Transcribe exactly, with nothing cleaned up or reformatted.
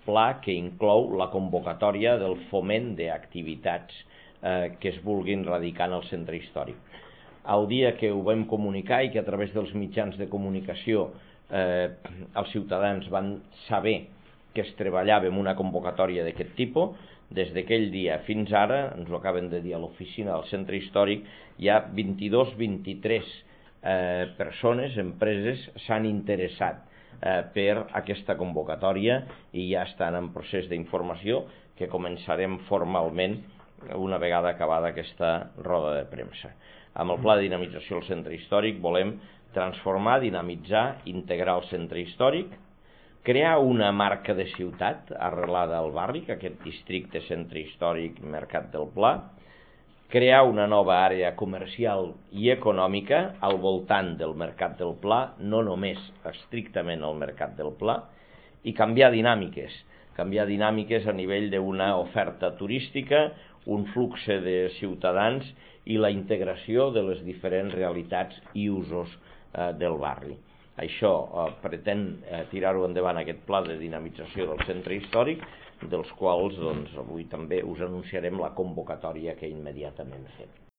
pla que inclou la convocatòria del foment d'activitats eh, que es vulguin radicar en el centre històric. El dia que ho vam comunicar i que a través dels mitjans de comunicació eh, els ciutadans van saber que es treballava en una convocatòria d'aquest tipus, des d'aquell dia fins ara, ens ho acaben de dir a l'oficina del centre històric, hi ha vint-i-dos vint-i-tres eh, persones, empreses, s'han interessat eh, per aquesta convocatòria i ja estan en procés d'informació que començarem formalment una vegada acabada aquesta roda de premsa. Amb el pla de dinamització del centre històric volem transformar, dinamitzar, integrar el centre històric, crear una marca de ciutat arrelada al barri, que aquest districte centre històric Mercat del Pla, crear una nova àrea comercial i econòmica al voltant del Mercat del Pla, no només estrictament al Mercat del Pla, i canviar dinàmiques, canviar dinàmiques a nivell d'una oferta turística, un flux de ciutadans i la integració de les diferents realitats i usos eh, del barri. Això eh, pretén eh, tirar-ho endavant aquest pla de dinamització del centre històric, dels quals doncs, avui també us anunciarem la convocatòria que immediatament fem.